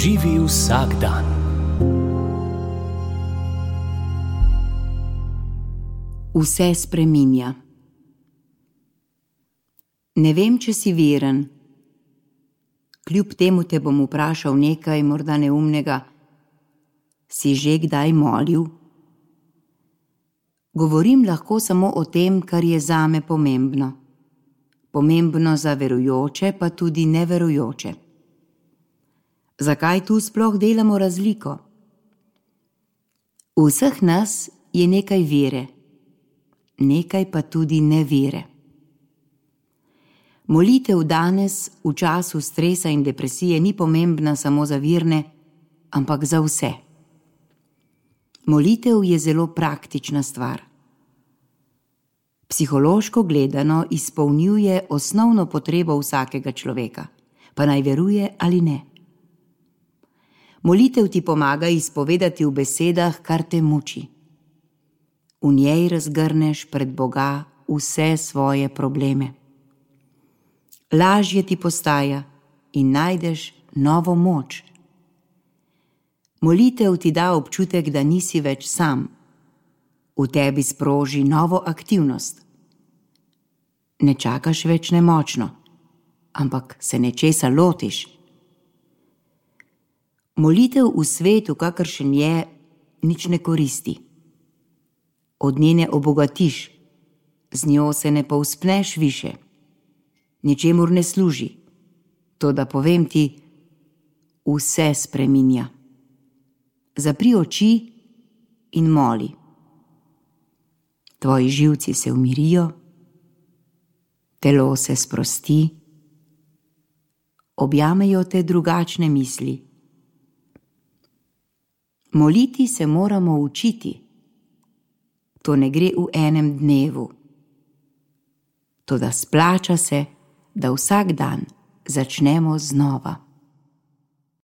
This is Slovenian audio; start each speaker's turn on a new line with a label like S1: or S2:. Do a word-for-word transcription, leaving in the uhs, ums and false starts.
S1: Živi vsak dan.
S2: Vse spreminja. Ne vem, če si veren. Kljub temu te bom vprašal nekaj morda neumnega. Si že kdaj molil? Govorim lahko samo o tem, kar je zame pomembno. Pomembno za verujoče, pa tudi neverujoče. Zakaj tu sploh delamo razliko? V vseh nas je nekaj vere, nekaj pa tudi nevere. Molitev danes, v času stresa in depresije, ni pomembna samo za verne, ampak za vse. Molitev je zelo praktična stvar. Psihološko gledano izpolnjuje osnovno potrebo vsakega človeka, pa naj veruje ali ne. Molitev ti pomaga izpovedati v besedah, kar te muči. V njej razgrneš pred Boga vse svoje probleme. Lažje ti postaja in najdeš novo moč. Molitev ti da občutek, da nisi več sam. V tebi sproži novo aktivnost. Ne čakaš več nemočno, ampak se nečesa lotiš. Molitev v svetu, kakršen je, nič ne koristi. Od nje ne obogatiš, z njo se ne povzpneš više. Ničemur ne služi, toda povem ti, vse spreminja. Zapri oči in moli. Tvoji živci se umirijo, telo se sprosti, objamejo te drugačne misli. Moliti se moramo učiti. To ne gre v enem dnevu. Toda splača se, da vsak dan začnemo znova.